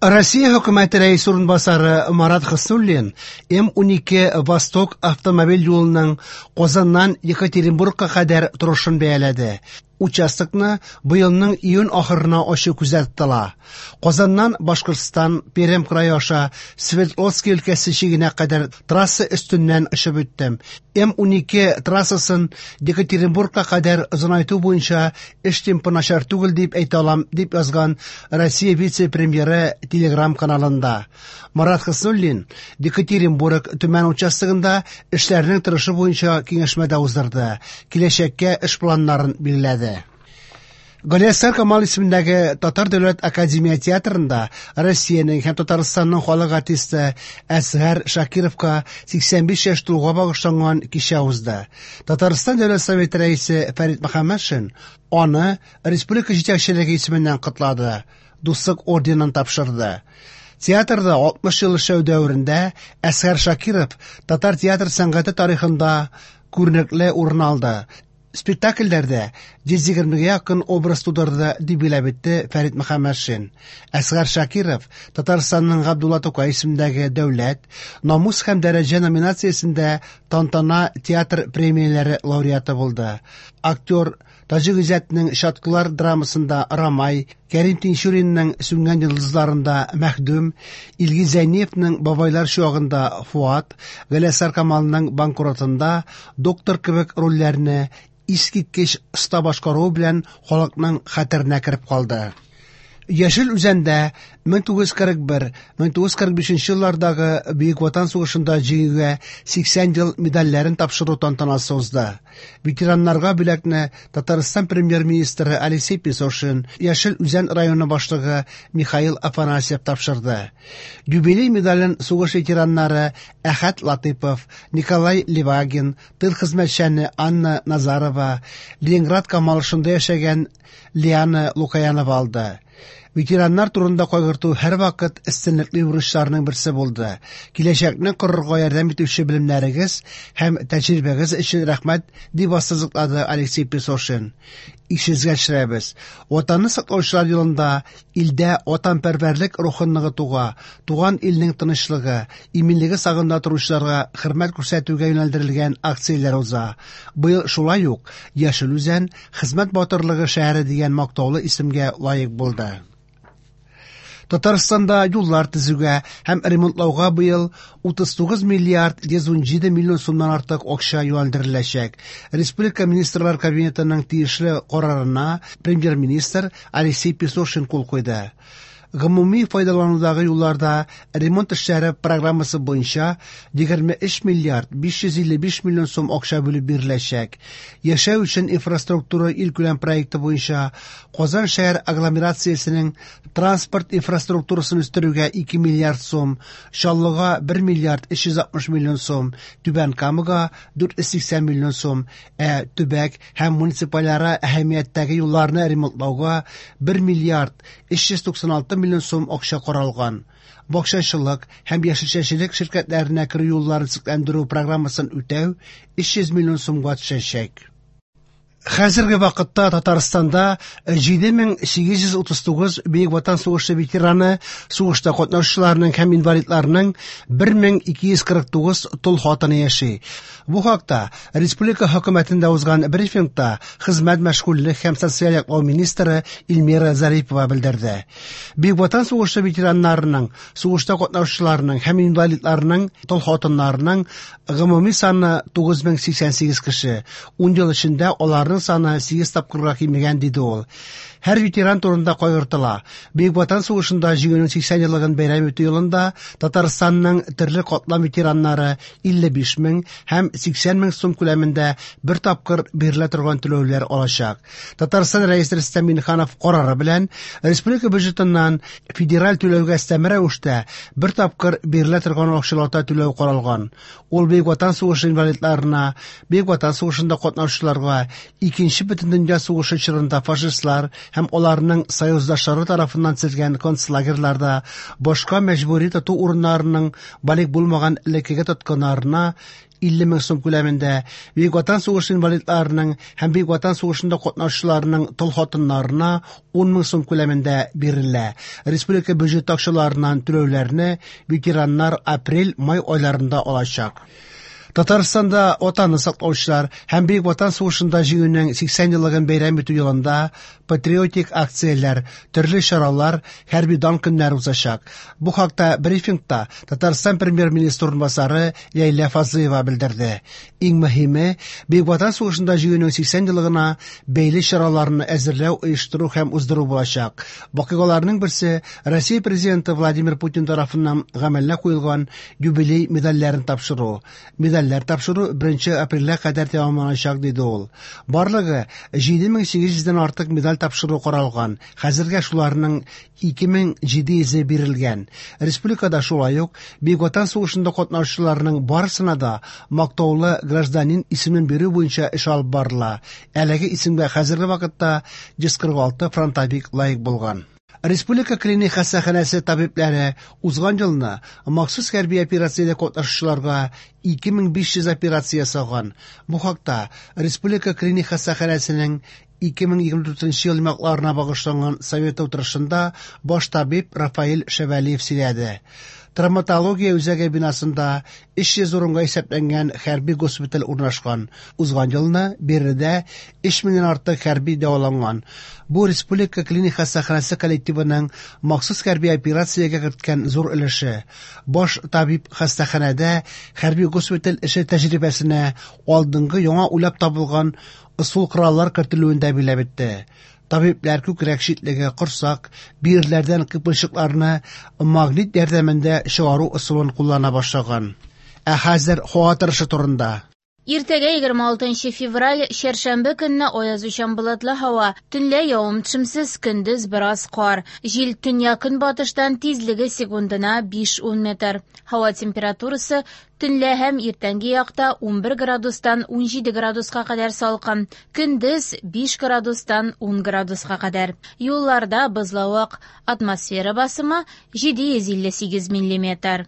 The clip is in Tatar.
Россия хөкүмәте рәисе урынбасары Марат Хөснуллин М-12 Восток автомобиль юлының Казаннан Екатеринбургка кадәр торышын бәяләде. Участокны быелның июнь ахырына ачу күздә тотыла. Казаннан Башкортстан, Пермь крае аша Свердловский өлкәсе чигенә кадәр трасса өстеннән очып үттем. М-12 трассасын Екатеринбургка кадәр озынайту буенча эш темпы начар түгел дип әйтә алам, дип язган Россия вице-премьеры Телеграм-каналында. Марат Хөснуллин Екатеринбург Төмән участогында эшләрнең торышы буенча киңәшмә дә уздырды. Киләчәккә эш планнарын билгеләде. Галиәсгар Камал исемендәге Татар дәүләт академия театрында Россиянең һәм Татарстанның халык артисты Әсгар Шакировка 85 яшь тулуга багышланган кичә узды. Татарстан Дәүләт Советы рәисе Фәрит Мөхәммәтшин аны республика җитәкчелеге исеменнән котлады, Дуслык орденын тапшырды. Театрда 60 ел эшләү дәверендә Әсгар Шакиров татар театр сәнгате тарихында күренекле урын алды. Спектакльләрдә 120-гә якын образ тудырды, дип билгеләп үтте Фәрит Мөхәммәтшин. Әсгар Шакиров Татарстанның Габдулла Тукай исемендәге дәүләт, намус һәм дәрәҗә номинациясендә Тантана театр премияләре лауреаты булды. Актер Таҗи Гыйззәтнең Чаткылар драмасында Рамай, Кәрим Тинчуринның Сүнгән йолдызларында Мәхдүм, Илгиз Зәйниевның Бабайлар чуагында Фуат, Галиәсгар Камалның Банкротында доктор кебек рольләрне искиткеч оста башкаруы белән халыкның хәтеренә кереп калды. Яшел Үзәндә 1941-1945 еллардагы Бөек Ватан сугышында җиңүгә 80 ел медальләрен тапшыру тантанасы узды. Ветераннарга бүләкне Татарстан премьер-министры Алексей Песошин, Яшел Үзән районы башлыгы Михаил Афанасьев тапшырды. Юбилей медален сугыш ветераннары Әхәт Латыпов, Николай Левагин, тыл хезмәтчәне Анна Назарова, Ленинград камалышында яшәгән Лиана Лукаянова алды. Ветераннар турында кайгырту һәрвакыт өстенлекле бурычларның берсе булды. Киләчәкне корырга ярдәм итүче белемнәрегез һәм тәҗрибәгез өчен рәхмәт, дип ассызыклады Алексей Песошин. Исегезгә төшерәбез. Ватанны саклаучылар елында илдә ватанпәрвәрлек рухын ныгытуга, туган илнең тынычлыгы, иминлеге сагында торучыларга хөрмәт күрсәтүгә юнәлдерелгән акцияләр уза. Быел шулай ук Яшел Үзән Хезмәт батырлыгы шәһәре дигән мактаулы исемгә лаек булды. Татарстанда юллар төзүгә һәм ремонтлауга быел 39 миллиард 117 миллион сумнан артык акча юнәлдереләчәк. Республика Министрлар Кабинетының тиешле карарына премьер-министр Алексей Песошин кул куйды. Гомуми файдаланудагы юлларда ремонт эшләре программасы буенча 23 миллиард 555 миллион сум акча бүлеп биреләчәк. Яшәү өчен инфраструктура илкүләм проекты буенча Казан шәһәр агломерациясенең транспорт инфраструктурасын үстерүгә 2 миллиард сум, Чаллыга 1 миллиард 360 миллион сум, Түбән Камага 480 миллион сум, ә төбәк һәм муниципальара әһәмияттәге юлларны ремонтлауга 1 миллиард 396 миллион сум акча каралган. Бакчачылык һәм яшелчәчелек ширкәтләренә керү юлларын төзекләндерү программасын үтәү 300 миллион сумга төшәчәк. Хәзерге вакытта Татарстанда 7839 Бөек Ватан сугышы ветераны, сугышта катнашучыларның һәм инвалидларның 1249 тол хатыны яши. Бу хакта республика хөкүмәтендә узган брифингта хезмәт, мәшгульлек һәм социаль яклау министры Эльмира Зарипова белдерде. Бөек Ватан сугышы ветераннарының, сугышта катнашучыларның һәм инвалидларның тол хатыннарының гомуми саны 9088 кеше. 10 ел эчендә аларның саны 8 тапкырга кимегән, диде ул. Һәр ветеран турында кайгыртыла. Бөек Ватан сугышында җиңүнең 80 еллыгын бәйрәм итү елында Татарстанның төрле катлам ветераннары 55 мең һәм 80 мең сум күләмендә бер тапкыр бирелә торган түләүләр алачак. Татарстан Рәисе Рөстәм Миңнеханов карары белән республика бюджетыннан федераль түләүгә өстәмә рәвештә бер тапкыр бирелә торган акчалата түләү каралган. Ул Бөек Ватан сугышы инвалидларына, Бөек Ватан сугышында катнашучыларга, Икенче бөтендөнья сугышы чорында фашистлар һәм аларның союздашлары тарафыннан төзелгән концлагерьларда, башка мәҗбүри тоту урыннарының балигъ булмаган элеккеге тоткыннарына 50 мең сум күләмендә, Бөек Ватан сугышы инвалидларының һәм Бөек Ватан сугышында катнашучыларның тол хатыннарына 10 мең сум күләмендә бирелә. Республика бюджеты акчаларыннан түләүләрне ветераннар апрель-май айларында алачак. Татарстанда Ватанны саклаучылар һәм Бөек Ватан сугышында җиңүнең 80 еллыгын бәйрәм итү елында патриотик акцияләр, төрле чаралар, хәрби дан көннәре узачак. Бу хакта брифингта Татарстан премьер-министры урынбасары Ләйлә Фазлыева белдерде. Иң мөһиме, Бөек Ватан сугышында җиңүнең 80 еллыгына бәйле чараларны әзерләү, оештыру һәм уздыру булачак. Вакыйгаларның берсе Россия Президенты Владимир Путин тарафыннан гамәлгә куелган юбилей медальләрен тапшыру. Медальләр тапшыру 1 апрельгә кадәр тәмамланачак, диде ул. Барлыгы 7800 дән артык медаль тапшыру каралган. Хәзергә шуларның 2700-е бирелгән. Республикада шулай ук Бөек Ватан сугышында катнашучыларның барысына да мактаулы гражданин исемен бирү буенча эш алып барыла. Әлеге исемгә хәзерге вакытта 146 фронтовик лаек булган. Республика клиник хастаханәсе табибләре узган елны махсус хәрби операциядә катнашучыларга 2500 операция ясаган. Бу хакта Республика клиник хастаханәсенең 2024 ел йомгакларына багышланган совет утырышында баш табиб Рафаэль Шәвәлиев сөйләде. Травматология үзәге бинасында 300 урынга исәпләнгән хәрби госпиталь урнашкан. Узган елны биредә 3000 дән артык хәрби дәваланган. Бу республика клиник хастаханәсе коллективының махсус хәрби операциягә керткән зур өлеше. Баш табиб хастаханәдә хәрби госпиталь эше тәҗрибәсенә алдынгы яңа уйлап табылган ысул-кораллар кертелүен дә билгеләп үтте. Табибләр күкрәк читлеге, корсак, бөерләрдән кыйпылчыкларны магнит ярдәмендә чыгару ысулын куллана башлаган. Ә хәзер һава торышы турында. Иртәгә 26 февраль, чәршәмбе көнне аязучан болытлы һава. Төнлә явым-төшемсез, көндез бераз кар. Җил төньяк-көнбатыштан, тизлеге секундына 5-10 метр. Һава температурасы төнлә һәм иртәнге якта 11 градустан 17 градуска кадәр салкын, көндез 5 градустан 10 градуска кадәр. Юлларда бозлавык, атмосфера басымы 758 миллиметр.